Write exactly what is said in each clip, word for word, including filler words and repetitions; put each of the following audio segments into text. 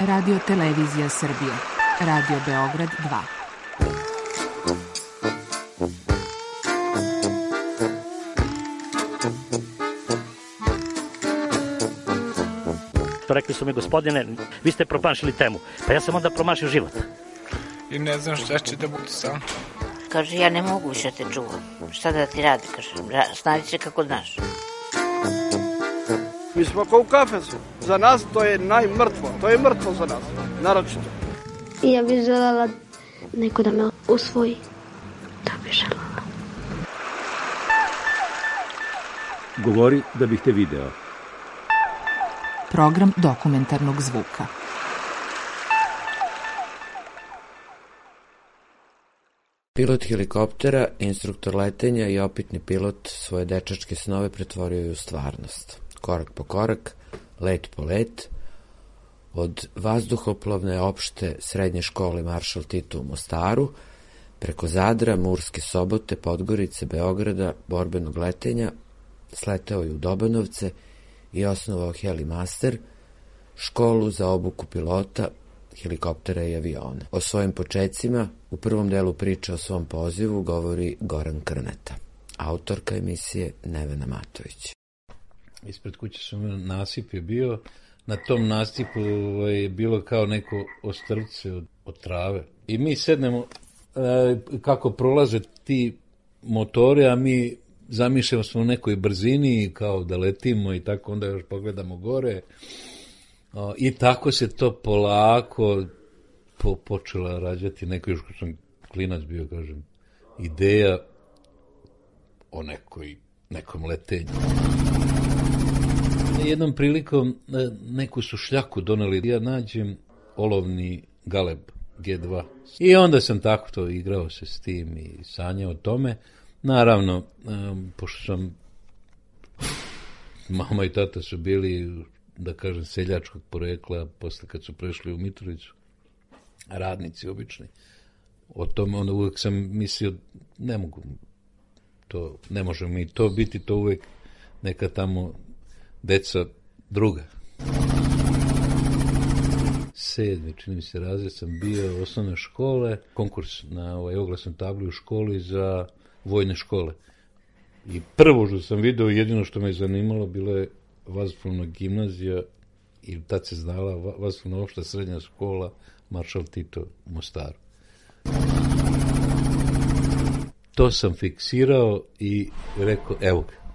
Radio Televizija Srbije, Radio Beograd dva. Rekli su mi, gospodine, vi ste promašili temu. Pa ja sam onda promašio život. I ne znam šta će da bude sam. Kaže, ja ne mogu više te čuvam. Šta da ti radi, kaže, snađi se kako znaš. Mi smo kao u kafesu. Za nas to je najmrtvo. To je mrtvo za nas, naročito. I ja bih želela neko da me usvoji. To bih želela. Govori da bih te video. Program dokumentarnog zvuka. Pilot helikoptera, instruktor letenja i opitni pilot svoje dečačke snove pretvorio je u stvarnost. Korak po korak, let po let, od vazduhoplovne opšte srednje škole Maršal Tito u Mostaru, preko Zadra, Murske Sobote, Podgorice, Beograda, borbenog letenja, sleteo je u Dobanovce i osnovao Helimaster, školu za obuku pilota, helikoptera i aviona. O svojim počecima u prvom delu priče o svom pozivu govori Goran Krneta, autorka emisije Nevena Matović. Ispred kuće sam nasip je bio, na tom nasipu je bilo kao neko ostrvce od, od trave. I mi sednemo e, kako prolaze ti motori, a mi zamišljamo smo u nekoj brzini kao da letimo i tako onda još pogledamo gore. O, I tako se to polako po, počela rađati, neko još kad sam klinac bio, kažem, ideja o nekoj, nekom letenju. Jednom prilikom neku su šljaku doneli, ja nađem olovni galeb G dva. I onda sam tako to igrao se s tim i sanjao o tome. Naravno, um, pošto sam, mama i tata su bili, da kažem, seljačkog porekla, posle kad su prešli u Mitrovicu, radnici obični. O tome onda uvek sam mislio, ne mogu to, ne može mi to biti, to uvek neka tamo deca druga. Sedmi, čini mi se, razred sam bio osnovne škole, konkurs na ovaj oglasnoj tabli u školi za vojne škole. I prvo što sam video, jedino što me je zanimalo, bilo je vazduhoplovna gimnazija i tad se znala vazduhoplovna opšta srednja škola Maršal Tito u Mostaru. To sam fiksirao i rekao, evo ga.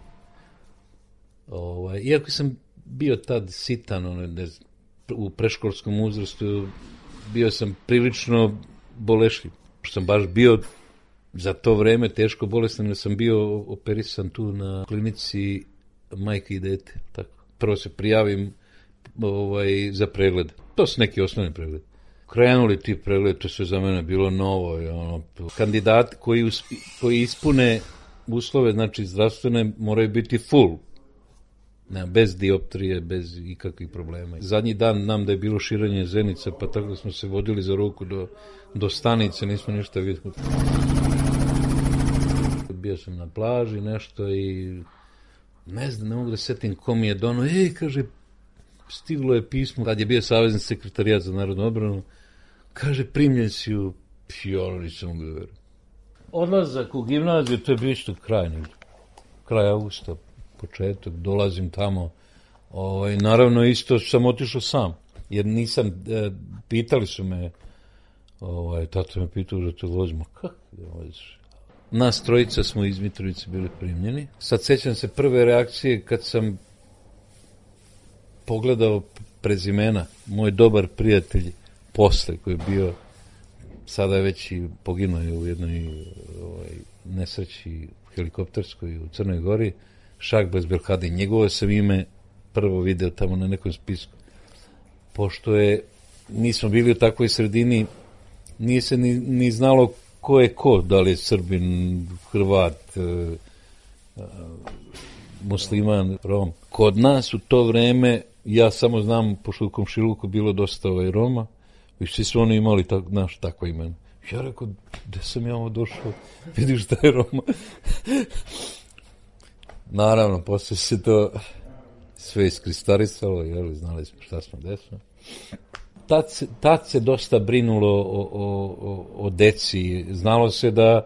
Ovaj, iako sam bio tad sitan, ono, ne, u preškolskom uzrastu, bio sam prilično bolešljiv. Što sam baš bio za to vreme teško bolestan, jer sam bio operisan tu na klinici majke i dete. Tako. Prvo se prijavim ovaj, za pregled. To su neki osnovni pregled. Krenuli ti pregled, to sve za mene bilo novo. I ono, kandidati koji, usp, koji ispune uslove, znači zdravstvene, moraju biti full. Ne, bez dioptrije, bez ikakvih problema. Zadnji dan nam da je bilo širenje zenica, pa tako da smo se vodili za ruku do, do stanice, nismo ništa vidjeli. Bio sam na plaži, nešto i ne znam, ne mogu da setim ko mi je dono. Ej, kaže, stiglo je pismo, kad je bio savezni sekretarijat za narodnu odbranu, kaže, primljen si u Pijonu, nisam mogu da verujem. Odlazak u gimnaziju, to je bio isto kraj, kraj augusta, početak, dolazim tamo, ovaj, naravno isto sam otišao sam, jer nisam, e, pitali su me, ovaj, tata me pitao da te vozimo, kako da voziš? Nas trojica smo iz Mitrovice bili primljeni. Sad sećam se prve reakcije kad sam pogledao prezimena, moj dobar prijatelj posle, koji je bio, sada je već i poginuo je u jednoj ovaj, nesreći helikopterskoj u Crnoj Gori, Šahbaz Belhadi, njegovo sam ime prvo video tamo na nekom spisku. Pošto je, nismo bili u takvoj sredini, nije se ni, ni znalo ko je ko, da li je Srbin, Hrvat, e, e, musliman, Rom. Kod nas u to vreme, ja samo znam, pošto u komšiluku bilo dosta ovaj Roma, i svi su oni imali tak, naš, takvo ime. Ja rekao, gde sam ja ovo došao, vidiš da je Roma. Naravno, posle se to sve iskristalisalo, jel, znali smo šta smo desno. tad se, tad se dosta brinulo o, o, o, o deci. Znalo se da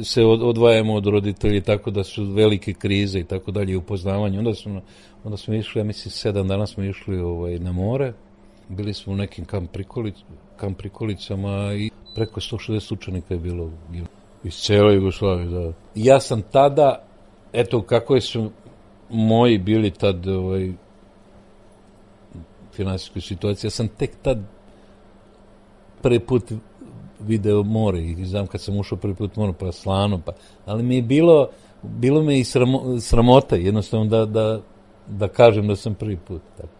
se odvajamo od roditelji, tako da su velike krize i tako dalje, upoznavanje. Onda smo, onda smo išli, ja mislim, sedam dana smo išli ovaj, na more. Bili smo u nekim kamp, prikolic, kamp prikolicama i preko sto šezdeset učenika je bilo iz cijele Jugoslavije. Da. Ja sam tada, eto kako su moji bili tad ovaj, finansijskoj situaciji, ja sam tek tad prvi put video more i znam kad sam ušao prvi put more pa slano, pa, ali mi je bilo, bilo me i sramo, sramota jednostavno da, da, da kažem da sam prvi put. Tako.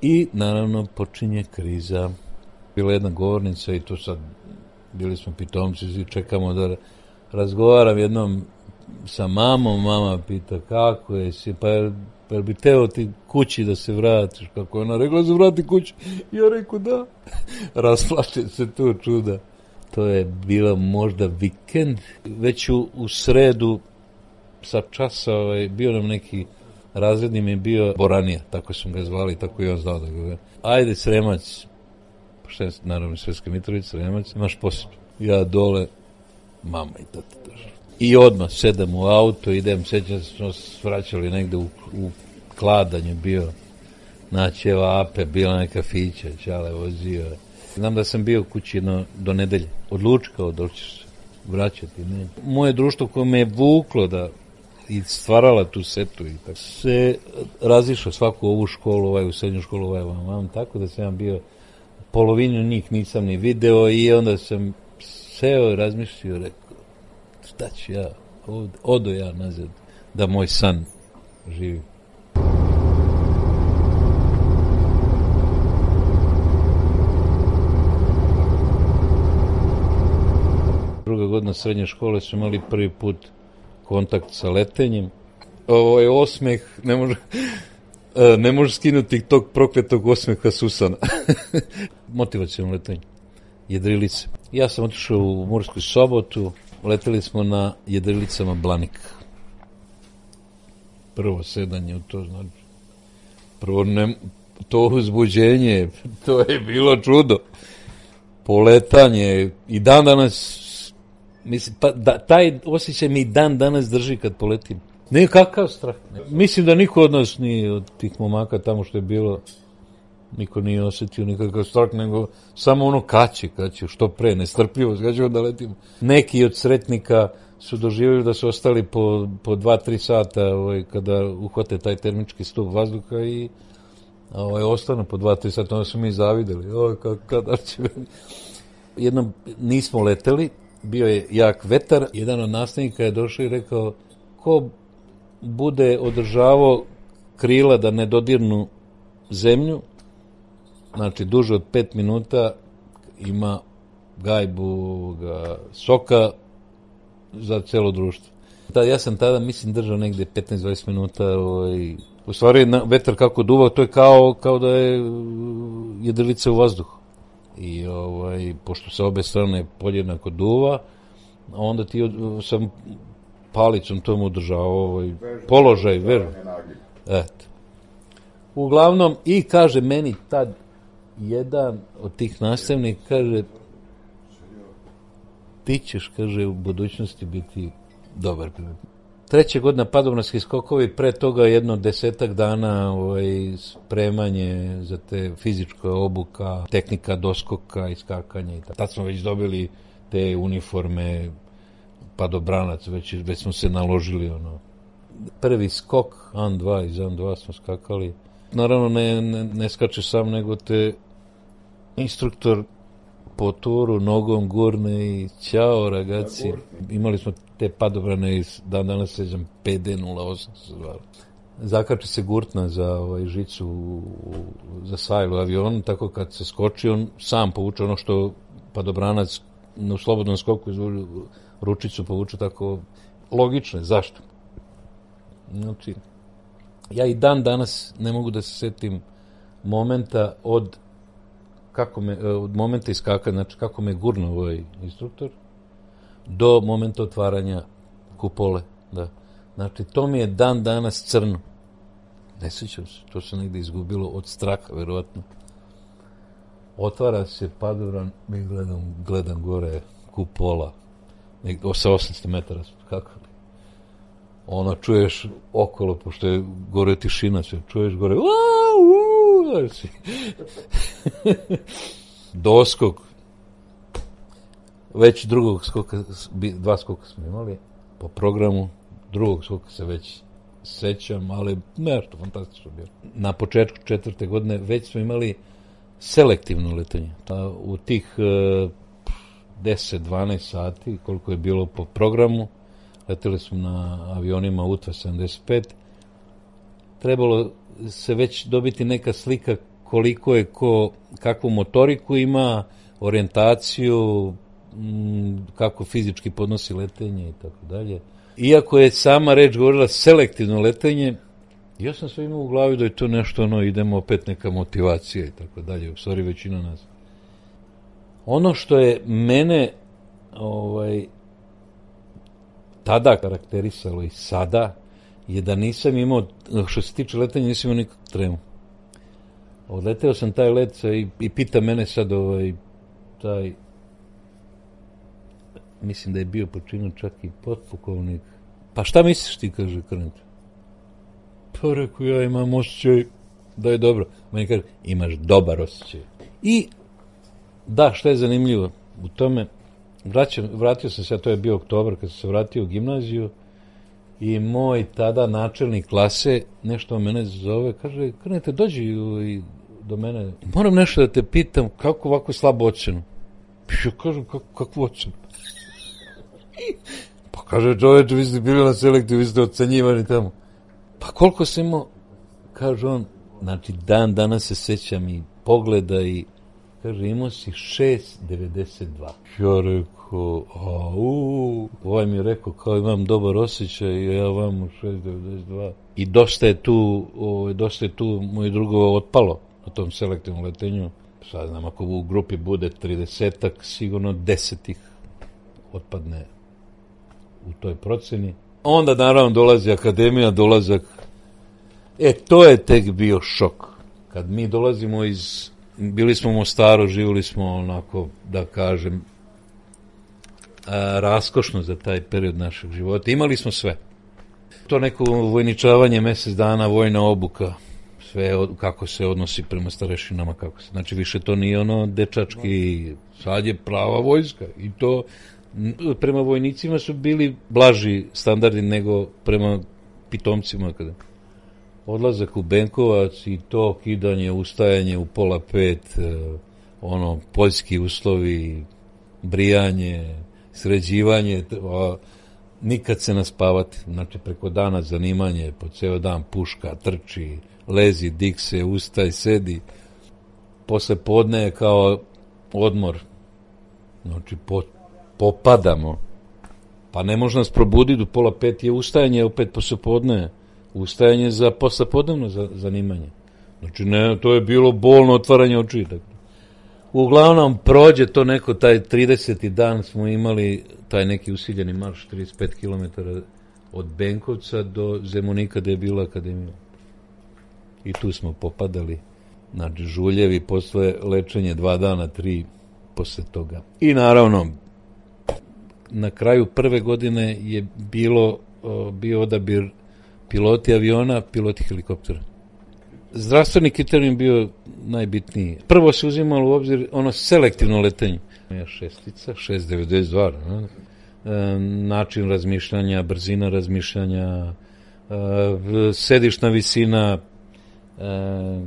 I naravno počinje kriza. Bila jedna govornica i to sad bili smo pitomci, svi čekamo da razgovaram jednom sa mamom, mama pita kako je si, pa jel, pa jel bi teo ti kući da se vratiš, kako je ona rekla da se vrati kući, ja rekao da, rasplače se to čuda. To je bilo možda vikend, već u, u sredu sa časa ovaj, bio nam neki razredni mi je bio Boranija, tako sam ga zvali, tako i on znao da ga. Ajde Sremac, šta je naravno Sremska Mitrovica, Sremac, imaš posao. Ja dole, mama i tata drža. I odmah sedam u auto, idem, sećam se, smo svraćali negde u, u Kladanju, bio naći evo Ape, bila neka kafića, Čale vozio. Znam da sam bio kući no, do nedelje, odlučkao da ćeš se vraćati. Ne. Moje društvo koje me je vuklo da i stvarala tu setu i tako se razišao svaku ovu školu, ovaj u srednju školu, ovaj vam, vam, tako da sam ja bio polovinu njih nisam ni video i onda sam seo i razmišljio, rekao, šta ću ja, od, odo ja nazad, da moj san živi. Druga godina srednje škole su imali prvi put kontakt sa letenjem. Ovo je osmeh, ne može, ne može skinuti tog prokletog osmeha Susana. Motivacijalno letenje. Jedrilice. Ja sam otišao u Morsku Sobotu, leteli smo na jedrilicama Blanik. Prvo sedanje u to, znači. Prvo ne, to uzbuđenje, to je bilo čudo. Poletanje i dan danas mislim, pa da, taj osjećaj mi dan danas drži kad poletim. Ne, kakav strah. Mislim da niko od nas nije, od tih momaka tamo što je bilo, niko nije osjetio nikakav strah, nego samo ono kaće, kaće, što pre, nestrpljivost, kad ćemo da letimo. Neki od sretnika su doživjeli da su ostali po, po dva, tri sata ovaj, kada uhvate taj termički stup vazduha i ovaj, ostane po dva, tri sata, onda su mi zavideli. Oj, kada će... Jednom nismo leteli, bio je jak vetar, jedan od nastavnika je došao i rekao, ko bude održavao krila da ne dodirnu zemlju, znači duže od pet minuta, ima gajbu ga, soka za celo društvo. Da, ja sam tada, mislim, držao negde petnaest do dvadeset minuta, ovaj, u stvari vetar kako duvao, to je kao, kao da je jedrilica u vazduhu. I ovaj, pošto sa obe strane podjednako duva, onda ti od, sam palicom tomu održao ovaj, položaj, veru. Eto. Uglavnom, i kaže meni tad jedan od tih nastavnika, kaže, ti ćeš, kaže, u budućnosti biti dobar pilot. Treće godina padobranski skokovi, pre toga jedno desetak dana ovaj, spremanje za te fizička obuka, tehnika doskoka i skakanja. I tako. Tad smo već dobili te uniforme padobranac, već, već smo se naložili. Ono. Prvi skok, an dva, iz an dva smo skakali. Naravno ne, ne, ne skače sam, nego te instruktor po turu nogom gurne i ćao ragazzi. Imali smo te padobrane iz dan danas sećam P D nula osam se zvali. Zakači se gurtna za ovaj žicu u, u, za sajlu avionu, tako kad se skoči on sam povuče ono što padobranac u slobodnom skoku izvuče ručicu povuče, tako logično je. Zašto? Znači, ja i dan danas ne mogu da se setim momenta od kako me, od momenta iskakanja, znači kako me gurno ovaj instruktor, do momenta otvaranja kupole, da. Znači, to mi je dan danas crno. Ne sjećam se, to se negdje izgubilo od straha, verovatno. Otvara se padoran, mi gledam, gledam gore kupola, sa osamsto metara, kako li? Ono, čuješ okolo, pošto je gore tišina, sve, čuješ gore, uuu, znači, doskok, već drugog skoka, dva skoka smo imali po programu, drugog skoka se već sećam, ali nešto fantastično bilo. Na početku četvrte godine već smo imali selektivno letenje. U tih deset do dvanaest sati, koliko je bilo po programu, leteli smo na avionima U T V sedamdeset pet, trebalo se već dobiti neka slika koliko je ko, kakvu motoriku ima, orijentaciju, kako fizički podnosi letenje i tako dalje. Iako je sama reč govorila selektivno letenje, ja sam sve imao u glavi da je to nešto, ono, idemo opet neka motivacija i tako dalje, u stvari većina nas. Ono što je mene ovaj, tada karakterisalo i sada, je da nisam imao, što se tiče letenja, nisam imao nikakvu tremu. Odleteo sam taj let i, i pita mene sad ovaj, taj, mislim da je bio počinio čak i potpukovnik. Pa šta misliš ti, kaže Krneta? Pa rekao, ja imam osjećaj da je dobro. Meni kaže, imaš dobar osjećaj. I da, šta je zanimljivo u tome, vraćam, vratio sam se, a to je bio oktobar kad sam se vratio u gimnaziju i moj tada načelnik klase nešto mene zove, kaže, Krneta, dođi do mene, moram nešto da te pitam, kako ovako slabo ocenu? Ja kažem, kako, kakvu ocenu? Pa kaže, čoveče, vi ste bili na selekciju, vi ste ocenjivani tamo. Pa koliko sam imao, kaže on, znači dan danas se sećam i pogleda i, kaže, imao si šest devedeset dva. Ja rekao, au, ovaj mi je rekao, kao imam dobar osjećaj, i ja vam šest devedeset dva. I dosta je tu, o, dosta je tu moj drugo otpalo na tom selektivnom letenju. Sad znam, ako u grupi bude tridesetak, sigurno desetih otpadne u toj proceni. Onda naravno dolazi akademija, dolazak. E, to je tek bio šok. Kad mi dolazimo iz, bili smo u Mostaru, živjeli smo onako, da kažem, a, raskošno za taj period našeg života. Imali smo sve. To neko vojničavanje, mjesec dana, vojna obuka, sve od, kako se odnosi prema starešinama, kako se, znači više to nije ono dečački, sad je prava vojska i to prema vojnicima su bili blaži standardi nego prema pitomcima. Kada odlazak u Benkovac i to kidanje, ustajanje u pola pet, ono, poljski uslovi, brijanje, sređivanje, a, nikad se naspavati, znači preko dana zanimanje, po ceo dan puška, trči, lezi, dik se, ustaj, sedi, posle podne je kao odmor, znači po popadamo, pa ne može nas probuditi u pola pet, je ustajanje opet poslepodne, ustajanje za poslepodnevno za, zanimanje. Znači, ne, to je bilo bolno otvaranje očiju. Uglavnom, prođe to neko, taj trideseti dan smo imali taj neki usiljeni marš, trideset pet kilometara od Benkovca do Zemunika, gde je bila akademija. I tu smo popadali, znači, žuljevi, posle lečenje dva dana, tri posle toga. I naravno, na kraju prve godine je bilo o, bio odabir piloti aviona, piloti helikoptera. Zdravstveni kriterijum bio najbitniji. Prvo se uzimalo u obzir ono selektivno letenje. Šestica, šest devedeset dva, ne? E, način razmišljanja, brzina razmišljanja, e, sedišna visina, e,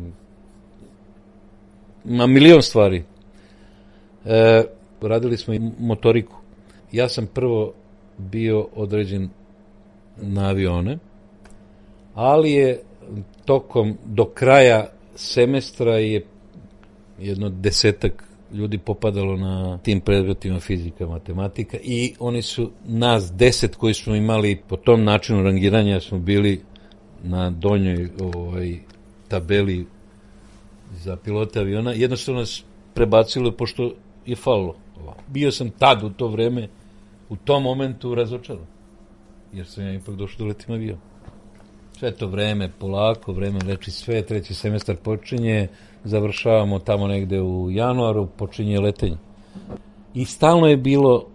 ma milion stvari. E, radili smo i motoriku. Ja sam prvo bio određen na avione, ali je tokom, do kraja semestra je jedno desetak ljudi popadalo na tim predmetima fizika, matematika i oni su nas deset koji smo imali po tom načinu rangiranja smo bili na donjoj ovaj, tabeli za pilote aviona. Jednostavno nas prebacilo pošto je falilo. Bio sam tad u to vreme, u tom momentu razočaran. jer sam ja ipak došao da letim avion. Sve to vreme, polako, vreme leči sve, treći semestar počinje, završavamo tamo negde u januaru, počinje letenje. I stalno je bilo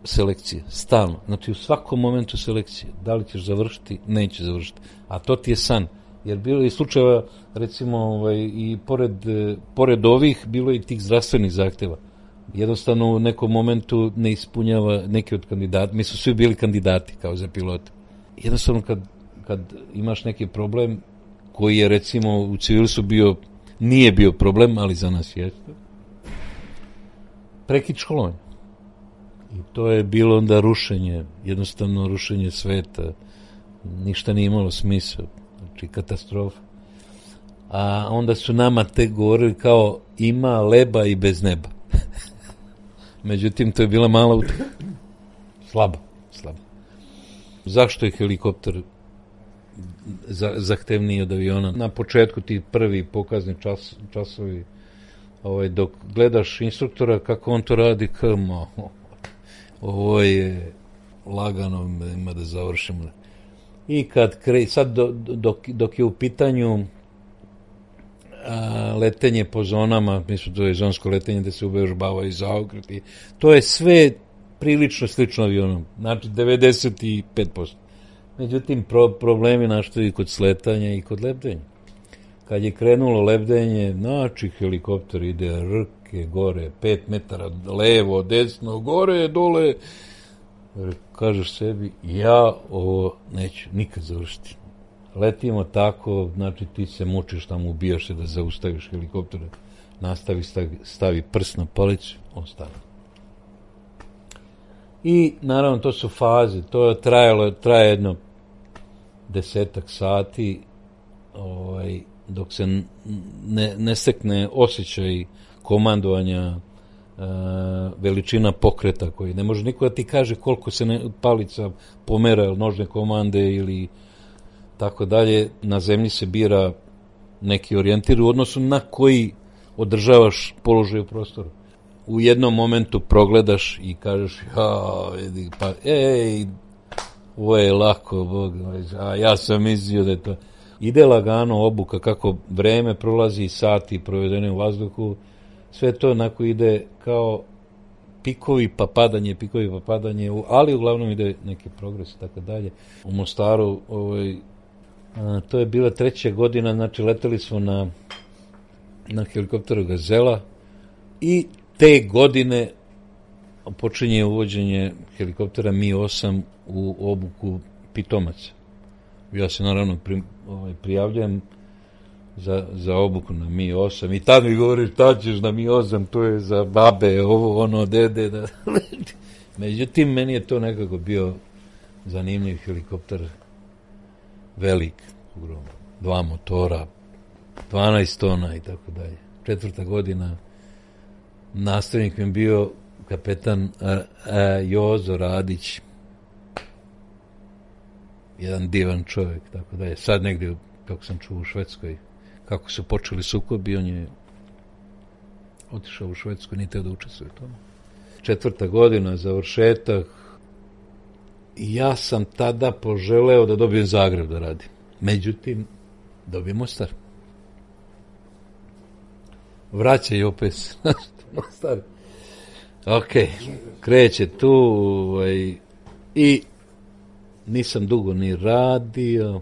selekcije, stalno. Znači u svakom momentu selekcije. Da li ćeš završiti, neće završiti. A to ti je san. Jer bilo je slučajeva, recimo, ovaj, i pored, pored ovih, bilo je i tih zdravstvenih zahteva. Jednostavno u nekom momentu ne ispunjava neki od kandidata. Mi su svi bili kandidati kao za pilote. Jednostavno kad, kad imaš neki problem koji je recimo u civilsu bio, nije bio problem, ali za nas jeste, prekid školovanja. I to je bilo onda rušenje, jednostavno rušenje sveta. Ništa nije imalo smisla. Znači katastrofa. A onda su nama te govorili kao ima leba i bez neba. Međutim, to je bila mala utrka. Slaba, slaba. Zašto je helikopter za, zahtevniji od aviona? Na početku ti prvi pokazni čas, časovi, ovaj, dok gledaš instruktora kako on to radi, kamo, ovo je lagano, ima da završimo. I kad kre, sad do, dok, dok je u pitanju a, letenje po zonama, mislim to je zonsko letenje gde se uvežbavaju zaokreti, to je sve prilično slično avionom, znači devedeset pet posto. Međutim, pro, problemi naštaju i kod sletanja i kod lebdenja. Kad je krenulo lebdenje, znači helikopter ide rke gore, pet metara levo, desno, gore, dole, kažeš sebi, ja ovo neću nikad završiti. Letimo tako, znači ti se mučiš tamo, ubijaš se da zaustaviš helikopter, nastavi, stavi, stavi prst na palicu, on stavi. I naravno to su faze, to je trajalo, traje jedno desetak sati, ovaj, dok se ne, ne stekne osjećaj komandovanja, Uh, veličina pokreta koji ne može niko da ti kaže koliko se ne, palica pomera nožne komande ili tako dalje. Na zemlji se bira neki orijentir u odnosu na koji održavaš položaj u prostoru. U jednom momentu progledaš i kažeš ja, vidi, pa ej, ovo je lako, Bog, a ja sam mislio da je to. Ide lagano obuka, kako vreme prolazi, sati provedene u vazduhu, sve to onako ide kao pikovi pa padanje, pikovi pa padanje, ali uglavnom ide neki progres i tako dalje. U Mostaru, ovaj, a, to je bila treća godina, znači leteli smo na, na helikopteru Gazela i te godine počinje uvođenje helikoptera Mi osam u obuku pitomaca. Ja se naravno pri, ovaj, prijavljujem Za, za obuku na Mi osam i tad mi govoriš šta ćeš na Mi osam, to je za babe, ovo, ono, dede. Da. Međutim, meni je to nekako bio zanimljiv helikopter, velik, ogromno, dva motora, dvanaest tona i tako dalje. Četvrta godina, nastavnik mi je bio kapetan a, a, Jozo Radić, jedan divan čovjek, tako dalje. Sad negdje, kako sam čuo u Švedskoj, kako su počeli sukobi, on je otišao u Švedsku, nije teo da učestvuje u tome. Četvrta godina, završetak, i ja sam tada poželeo da dobijem Zagreb da radim. Međutim, dobijem Mostar. Vraća i opet Mostar. Ok, kreće tu ovaj, i nisam dugo ni radio,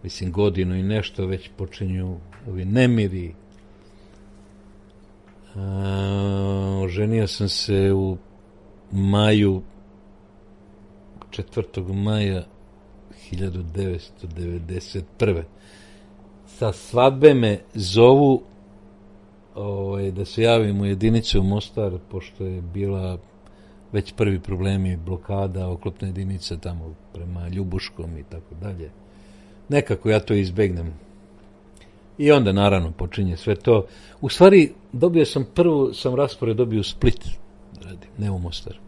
mislim godinu i nešto, već počinju ovi nemiri. A, oženio sam se u maju, četvrtog maja hiljadu devetsto devedeset prve. Sa svadbe me zovu ovaj, da se javim u jedinicu u Mostar, pošto je bila već prvi problemi, blokada, oklopna jedinica tamo prema Ljubuškom i tako dalje. Nekako ja to izbegnem. I onda naravno počinje sve to. U stvari dobio sam prvu, sam raspored dobio u Split, radim, ne u Mostar.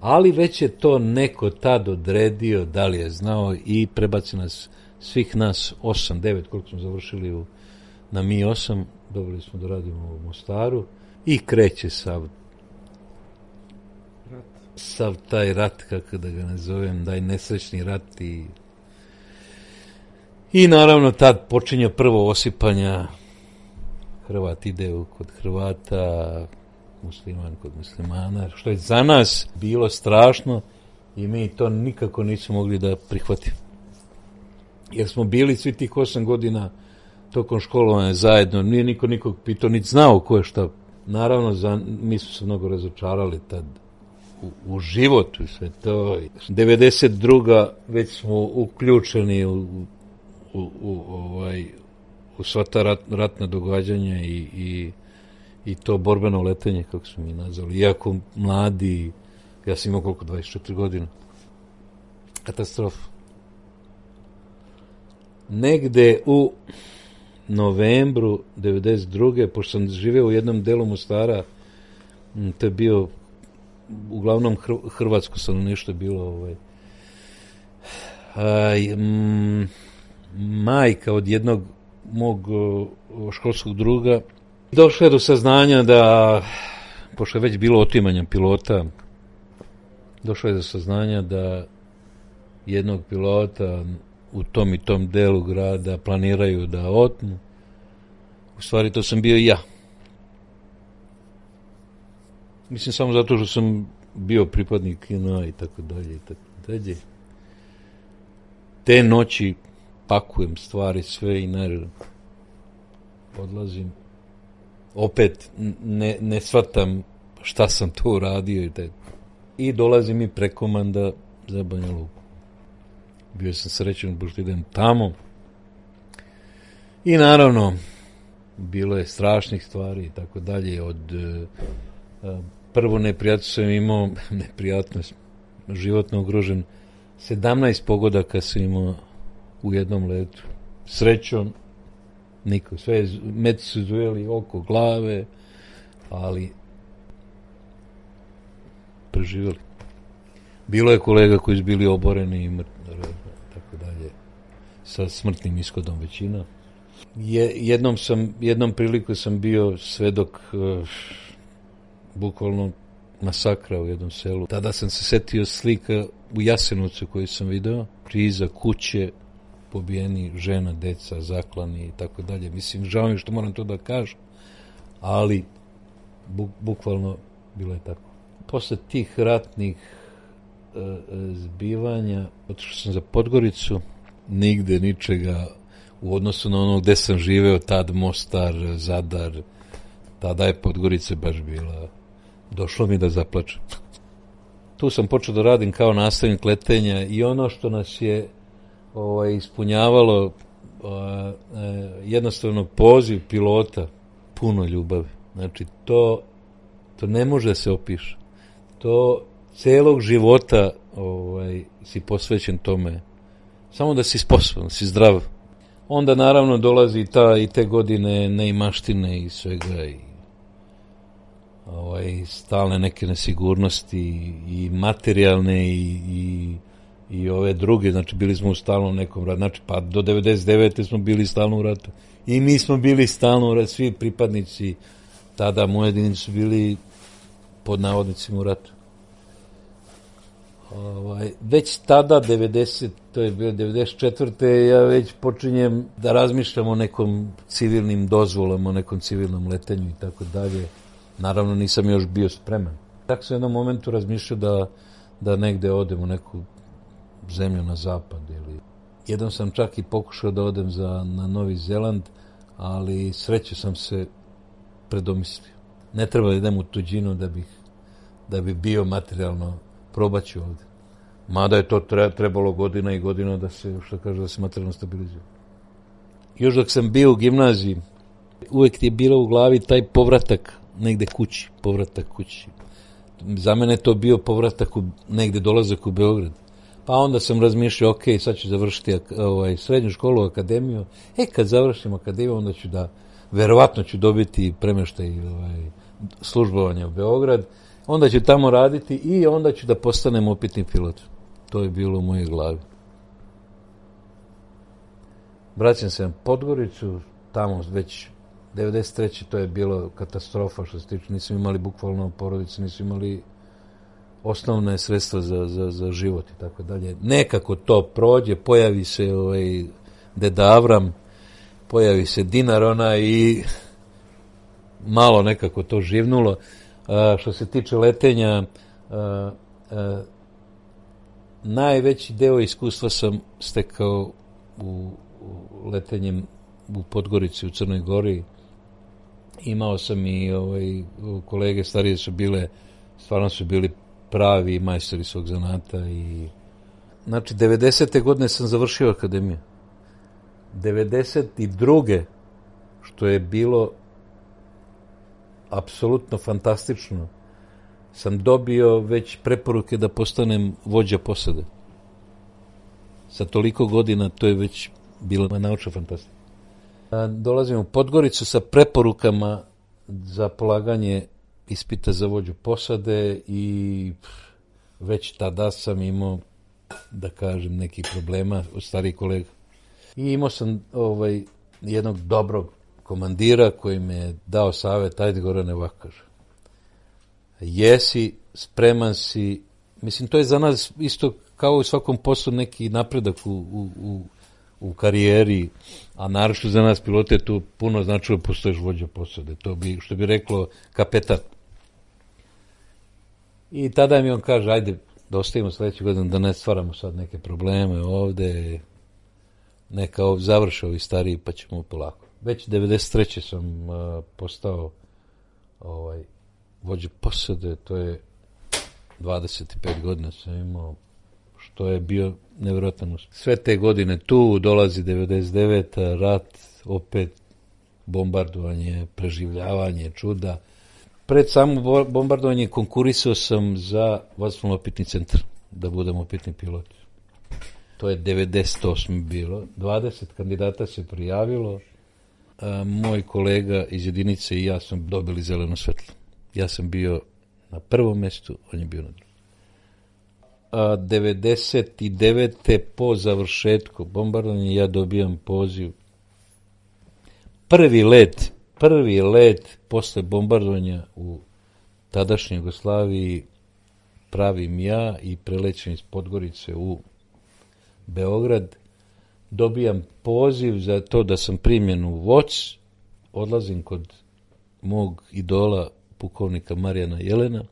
Ali već je to neko tad odredio, da li je znao, i prebaci nas, svih nas, osam, devet, koliko smo završili u, na Mi osam, dobili smo da radimo u Mostaru i kreće sav sav taj rat, kako da ga nazovem, daj nesrećni rat i i naravno tad počinje prvo osipanja. Hrvat ide kod Hrvata, musliman kod muslimana, što je za nas bilo strašno i mi to nikako nismo mogli da prihvatimo. Jer smo bili svi tih osam godina tokom školovanja zajedno, nije niko nikog pitao, niti znao ko je šta. Naravno, za, mi smo se mnogo razočarali tad u, u životu i sve to. devedeset druga već smo uključeni u, u, u, ovaj, u sva ta rat, ratna događanja i, i, i to borbeno letenje, kako smo mi nazvali. Iako mladi, ja sam imao koliko, dvadeset četiri godine. Katastrofa. Negde u novembru devedeset druge pošto sam živeo u jednom delu Mostara, to je bio uglavnom hrvatsko stanovništvo bilo ovaj, aj, m, majka od jednog mog školskog druga došla je do saznanja da, pošto je već bilo otimanja pilota, došla je do saznanja da jednog pilota u tom i tom delu grada planiraju da otmu. U stvari to sam bio i ja. Mislim samo zato što sam bio pripadnik kina i tako dalje i tako dalje. Te noći pakujem stvari sve i ne odlazim. Opet ne, ne shvatam šta sam to uradio i tako. I dolazim i prekomanda za Banja Luku. Bio sam srećen, pošto idem tamo. I naravno, bilo je strašnih stvari i tako dalje. Od uh, prvo neprijatno sam imao, neprijatnost, životno ugrožen, sedamnaest pogodaka sam imao u jednom letu. Srećom, niko. Sve meci su zujeli oko glave, ali preživjeli. Bilo je kolega koji su bili oboreni i mrtvi, tako dalje, sa smrtnim ishodom većina. Je, jednom sam, jednom priliku sam bio svedok uh, bukvalno masakra u jednom selu. Tada sam se setio slika u Jasenovcu koju sam video, iza kuće, pobijeni žena, deca, zaklani i tako dalje. Mislim, žao mi što moram to da kažem, ali bu, bukvalno bilo je tako. Posle tih ratnih zbivanja, otišao sam za Podgoricu, nigde ničega u odnosu na ono gde sam živeo, tad Mostar, Zadar, tada je Podgorica baš bila, došlo mi da zaplačem. Tu sam počeo da radim kao nastavnik letenja i ono što nas je ovaj, ispunjavalo a, a, jednostavno poziv pilota, puno ljubavi. Znači to, to ne može da se opiše. To celog života ovaj, si posvećen tome. Samo da si sposoban, da si zdrav. Onda naravno dolazi ta, i te godine neimaštine i svega i ovaj, stalne neke nesigurnosti i materijalne i, i, i ove druge. Znači bili smo u stalnom nekom ratu. Znači pa do devedeset devete smo bili stalno u ratu. I mi smo bili stalno u ratu. Svi pripadnici tada moje jedinice su bili pod navodnicima u ratu. Ovaj, već tada, devedeset, to je bilo devedeset četvrte ja već počinjem da razmišljam o nekom civilnim dozvolama, o nekom civilnom letenju i tako dalje. Naravno nisam još bio spreman. Tako sam u jednom momentu razmišljao da, da negde odem u neku zemlju na zapad. Ili... Jednom sam čak i pokušao da odem za, na Novi Zeland, ali sreće sam se predomislio. Ne treba da idem u tuđinu da bih, da bi bio materijalno probat ću ovdje. Mada je to trebalo godina i godina da se, što kaže, da se materijalno stabilizuje. Još dok sam bio u gimnaziji, uvek je bilo u glavi taj povratak negde kući, povratak kući. Za mene je to bio povratak u, negde dolazak u Beograd. Pa onda sam razmišljao, ok, sad ću završiti ovaj, srednju školu, akademiju. E, kad završim akademiju, onda ću da, verovatno ću dobiti premeštaj ovaj, službovanja u Beograd. Onda ću tamo raditi i onda ću da postanem opitni pilot. To je bilo u mojoj glavi. Vraćam se na Podgoricu, tamo već devedeset treće to je bilo katastrofa što se tiče, nismo imali bukvalno porodice, nismo imali osnovne sredstva za, za, za život i tako dalje. Nekako to prođe, pojavi se ovaj, Deda Avram, pojavi se dinar ona i malo nekako to živnulo. A, što se tiče letenja, a, a, najveći deo iskustva sam stekao u, u letenjem u Podgorici, u Crnoj Gori. Imao sam i ovaj, kolege starije su bile, stvarno su bili pravi majstori svog zanata. I znači, devedesete godine sam završio akademiju. devedeset druge što je bilo apsolutno fantastično, sam dobio već preporuke da postanem vođa posade. Sa toliko godina to je već bila naučna fantastika. Dolazim u Podgoricu sa preporukama za polaganje ispita za vođu posade i već tada sam imao, da kažem, nekih problema od starih kolega. I imao sam ovaj, jednog dobrog komandira koji me je dao savjet, ajde Gorane, ovako kaže. Jesi, spreman si, mislim, to je za nas isto kao u svakom poslu neki napredak u, u, u, u karijeri, a naročito za nas pilote je tu puno značilo postoješ vođa posade, to bi, što bi reklo kapetan. I tada mi on kaže, ajde, da ostavimo sledeću godinu, da ne stvaramo sad neke probleme ovde, neka ovdje završe ovi stariji, pa ćemo polako. Već devedeset treće sam uh, postao ovaj, vođa posade, to je dvadeset pet godina sam imao, što je bio nevjerojatan uspjeh. Sve te godine tu, dolazi devedeset deveta rat, opet bombardovanje, preživljavanje, čuda. Pred samo bombardovanje konkurisao sam za vazdušno-opitni centar, da budem opitni pilot. To je devedeset osme bilo. dvadeset kandidata se prijavilo. A, moj kolega iz jedinice i ja sam dobili zeleno svetlo. Ja sam bio na prvom mjestu, on je bio na drugom. A devedeset devete po završetku bombardovanja ja dobijam poziv. Prvi let, prvi let posle bombardovanja u tadašnjoj Jugoslaviji pravim ja i prelećem iz Podgorice u Beograd. Dobijam poziv za to da sam primljen u voc, odlazim kod mog idola pukovnika Marijana Jelena,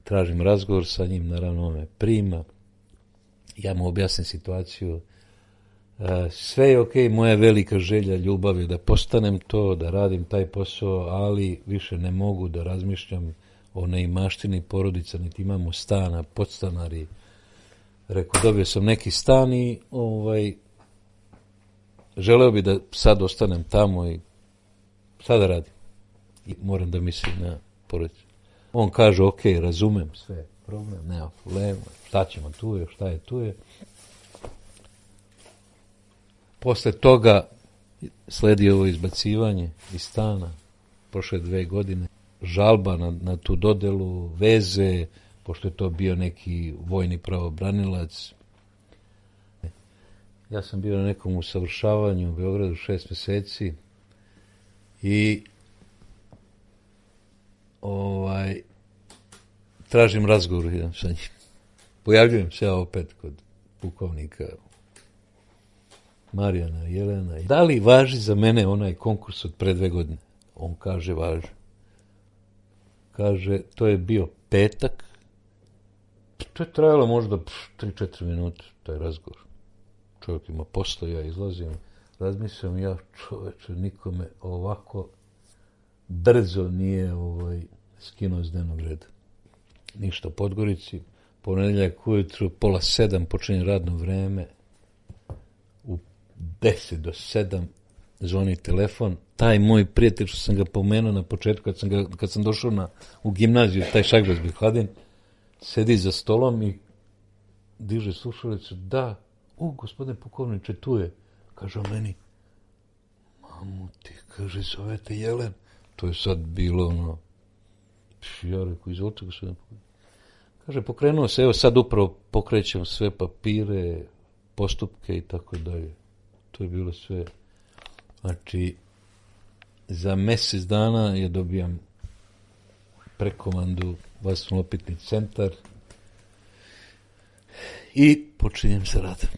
tražim razgovor sa njim, naravno on me prima, ja mu objasnim situaciju, sve je okej, moja velika želja, ljubav je da postanem to, da radim taj posao, ali više ne mogu da razmišljam o neimaštini porodica, niti imamo stana, podstanari. Rekao, dobio sam neki stan i ovaj, želeo bi da sad ostanem tamo i sada radim. I moram da mislim na porodicu. On kaže, ok, razumem sve, problem, nema problema, šta ćemo tu je, šta je tu je. Posle toga sledi ovo izbacivanje iz stana, prošle dve godine, žalba na, na tu dodelu, veze, pošto je to bio neki vojni pravobranilac. Ja sam bio na nekom usavršavanju u Beogradu šest mjeseci i ovaj, tražim razgovor jedan sa njim. Pojavljujem se ja opet kod pukovnika Marijana Jelena. Da li važi za mene onaj konkurs od pre dve godine? On kaže, važi. Kaže, to je bio petak. To je trajalo možda tri četiri minuta, taj razgovor. Čovjek ima posla, ja izlazim, razmislim, ja čoveče, nikome ovako brzo nije ovaj, skinuo s dnevnog reda. Ništa u Podgorici, ponedjeljak ujutru, pola sedam, počinje radno vreme, u deset do sedam zvoni telefon, taj moj prijatelj, što sam ga pomenuo na početku, kad sam, ga, kad sam došao na, u gimnaziju, taj Šagras Bihladin, sedi za stolom i diže slušalicu, da, o, gospodine pukovniče, tu je. Kaže on meni, mamu ti, kaže, zovete Jelen. To je sad bilo, ono, ja rekao, izvolite gospodine pukovniče. Kaže, pokrenuo se, evo sad upravo pokrećem sve papire, postupke i tako dalje. To je bilo sve. Znači, za mjesec dana je dobijam prekomandu Vasilno-opitni centar i počinjem sa radom.